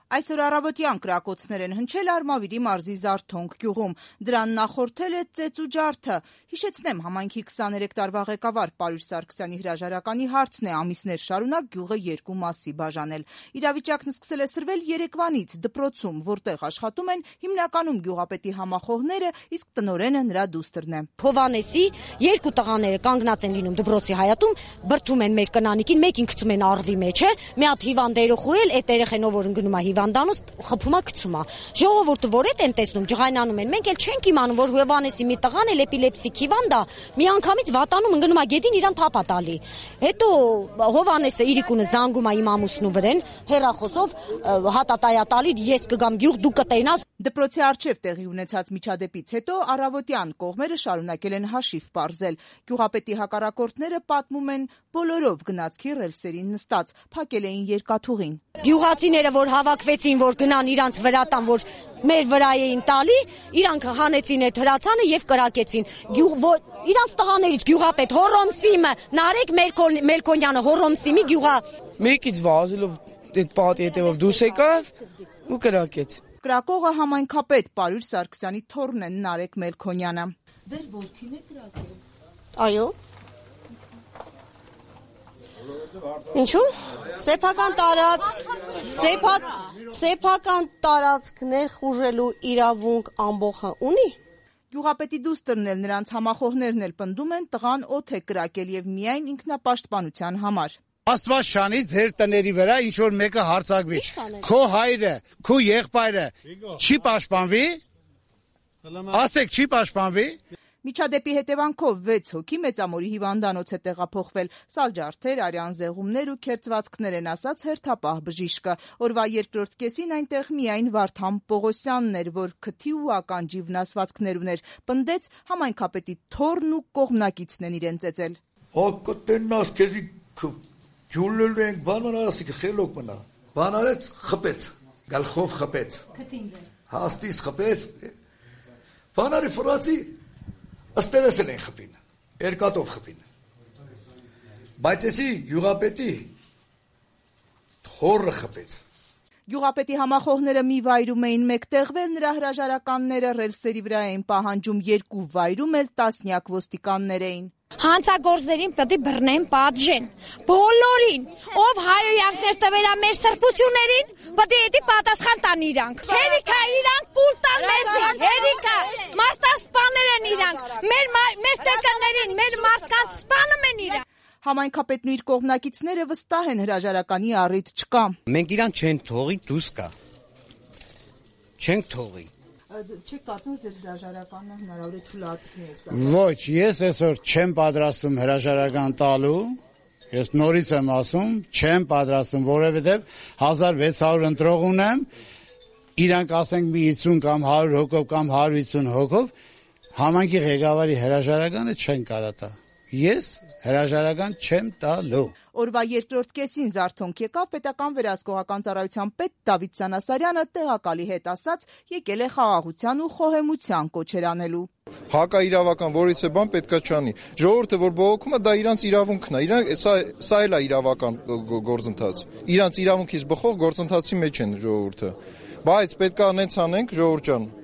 Այսօր առավոտյան կրակոցներ են հնչել Արմավիրի մարզի Զարթոնք գյուղում։ Դրան նախորդել է ծեծ ու ջարդը։ Հիշեցնեմ, համայնքի 23 տարվա ղեկավար Պարույր Սարգսյանի հրաժարականի հարցն է ամիսներ շարունակ գյուղը երկու մասի բաժանել։ Իրավիճակն սկսել է սրվել երեկվանից դպրոցում, որտեղ աշխատում են հիմնականում գյուղապետի համախոհները, իսկ տնօրենը նրա դուստրն է։ Հովանեսի երկու տղաները կանգնած են լինում դպրոցի հայատում, բրդում են մեր կնանիկին, մեկին գցում են առվի մեջ, մի հատ հիվանդ երեխու էլ, այդ երեխեն ով որ ընկնում է հիվանդանոց խփումա գցումա։ Ժողովուրդը որ էդ են տեսնում, ջղայնանում են, մենք էլ չենք իմանում, որ Հովանեսի մի տղան էլ էպիլեպսիկ հիվանդ է, միանգամից վատանում ընկնում է գետին իրան թափա տալի։ Հետո Հովանեսը իրիկունը զանգում է իմ ամուսնու վրան, հեռախոսով հատատայա տալի, ես կգամ գյուղ, դու կտենաս։ Դպրոցի առջև տեղի ունեցած միջադեպից հետո առավոտյան կողմերը շարունակել են հաշիվ պարզել։ Գյուղապետի հակառակորդները պատմում են բոլորով գնացքի ռելսերին նստած, փակել էին երկաթուղին։ Գյուղացիները, որ հավաքվեցին, որ գնան իրանց վրա տան, որ մեր վրա էին տալի, իրանք հանեցին այդ հրացանը եւ կրակեցին։ Իրանց տղաներից գյուղապետ Հոռոմսիմը, Նարեկ Մելքոնյանը, Հոռոմսիմի գյուղա։ Մեկից վազելով այդ պատի հետևով դուրս եկավ ու կրակեց։ Կրակողը համայնքապետ Պարույր Սարգսյանի թոռն է Նարեկ Մելքոնյանը։ Ձեր որդին է կրակել։ Այո։ Ինչու՞։ Սեփական տարածք ներխուժելու իրավունք ամբողջը ունի։ Գյուղապետի դուստրն էլ նրանց համախոհներն էլ պնդում են տղան օդ է կրակել եւ միայն ինքնապաշտպանության համար։ Աստված շանի ձեր տների վրա ինչ որ մեկը հարցակվի։ Քո հայրը, քո եղբայրը չի պաշտպանվի։ Ասեք, չի պաշտպանվի։ Միջադեպի հետևանքով 6 հոգի Մեծամորի հիվանդանոց է տեղափոխվել։ Սալջարդեր, արյան զեղումներ ու քերծվածքներ են ասաց հերթապահ բժիշկը։ Օրվա երկրորդ կեսին այնտեղ միայն Վարդան Պողոսյանն էր, որ քթի ու ականջի վնասվածքներ ուներ։ Պնդեց համայնքապետի թոռն ու կողմնակիցն են իրեն ծեծել։ Հակտեննաս քեզի ջուլել ենք բանարասիկ խելոք մնա։ Բանարեց խփեց, գալխով խփեց։ Քթին ձեր։ Հաստիս խփեց։ Բանարի ֆրացի ըստերս են խփին, երկաթով խփին։ Բայց էսի գյուղապետի թոռը խփեց։ Գյուղապետի համախոհները մի վայրում էին մեկտեղվել, նրա հրաժարականները ռելսերի վրա էին պահանջում, երկու վայրում էլ տասնյակ ոստիկաններ էին։ Հանցագործներին պետք է բռնեն, պատժեն, բոլորին, ով հայոյանքներ տվերա մեր սրբություններին, պետք է պատասխան տան իրանք։ Հերիքա իրանք կուլ տան մեզի, հերիքա, մարտասպաներ են իրանք, մեր տեկաներին, մեր մարդկանց սպանում են իրանք։ Համայնքապետն ու իր կողմնակիցները վստահ են հրաժարականի առիթ չկա։ Մենք իրան չեն թողի, դուրս կա։ Չենք թողի։ Չեք կարծում, որ ձեր հրաժարականը հնարավոր է թույլատրի է։ Ոչ, ես այսօր չեմ պատրաստում հրաժարական տալու։ Ես նորից եմ ասում, չեմ պատրաստում, որովհետև 1600 ընտրող ունեմ, իրանք ասենք մի 50 կամ 100 հոգով կամ 150 հոգով, համայնքի ղեկավարի հրաժարականը չեն կարող տա։ Ես հրաժարական չեմ տալու։ Օրվա երկրորդ կեսին Զարթոնք եկավ պետական վերահսկողական ծառայության պետ Դավիթ Սանասարյանը տեղակալի հետ ասաց, եկել է խաղաղության ու խոհեմության կոչեր անելու։ Հակաիրավական որից է բան պետքա չանի։ Ժողովուրդը որ բողոքում է, դա իրանց իրավունքն է։ Իրանք սա էլ է իրավական գործընթաց։ Իրանց իրավունքից բխող գործընթացի մեջ են ժողովուրդը։ Բայց պետքա նենց անենք, ժողովուրդ ջան։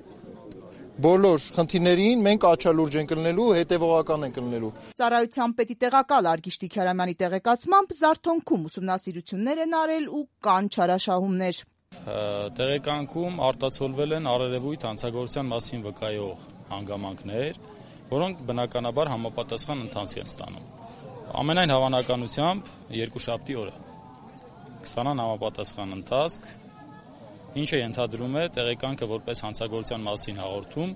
Բոլոր խնդիրներին մենք աչալուրջ ենք կլնելու, հետևողական ենք կլնելու։ Ծառայության պետի տեղակալ Արգիշտի Քյարամյանի տեղեկացմամբ Զարթոնքում ուսումնասիրություններ են արել ու կան չարաշահումներ։ Տեղեկանքում արտացոլվել են առերևույթ հանցագործության մասին վկայող հանգամանքներ, որոնք բնականաբար համապատասխան ընթացք են ստանում։ Ամենայն հավանականությամբ երկուշաբթի օրը կստանան համապատասխան ընթացք, ինչը ենթադրում է տեղեկանքը որպես հանցագործության մասին հաղորդում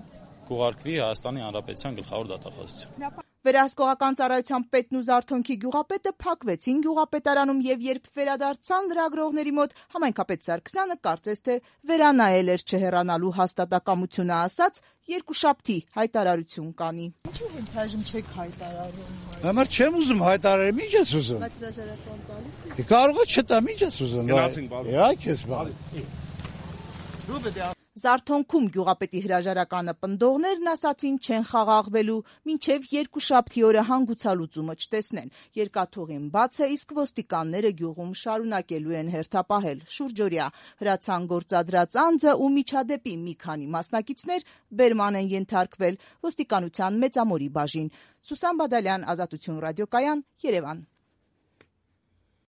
կուղարկվի Հայաստանի Հանրապետության գլխավոր դատախազություն։ Վերահսկողական ծառայության պետն ու Զարթոնքի գյուղապետը փակվեցին գյուղապետարանում եւ երբ վերադարձան լրագրողների մոտ, համայնքապետ Սարգսյանը կարծես թե վերանայել էր չհեռանալու հաստատակամությունը, ասաց երկուշաբթի հայտարարություն կանի։ Ինչու հենց այժմ չեք հայտարարում։ Համար չեմ ուզում հայտարարեմ, ինչ ես ուզում։ Բայց հրաժարական տալիս եք։ Կարող է չտամ, ինչ ես ուզում։ Իա, քեզ բան։ Զարթոնքում գյուղապետի հրաժարականը պնդողներն ասացին չեն խաղաղվելու, մինչև երկուշաբթի օրը հանգուցալուծումը չտեսնեն։ Երկաթուղին բաց է, իսկ ոստիկանները գյուղում շարունակելու են հերթապահել շուրջօրյա։ Հրացան գործադրած անձը ու միջադեպի մի քանի մասնակիցներ բերման են ենթարկվել ոստիկանության Մեծամորի բաժին։ Սուսան Բադալյան, Ազատություն ռադիոկայան, Երևան։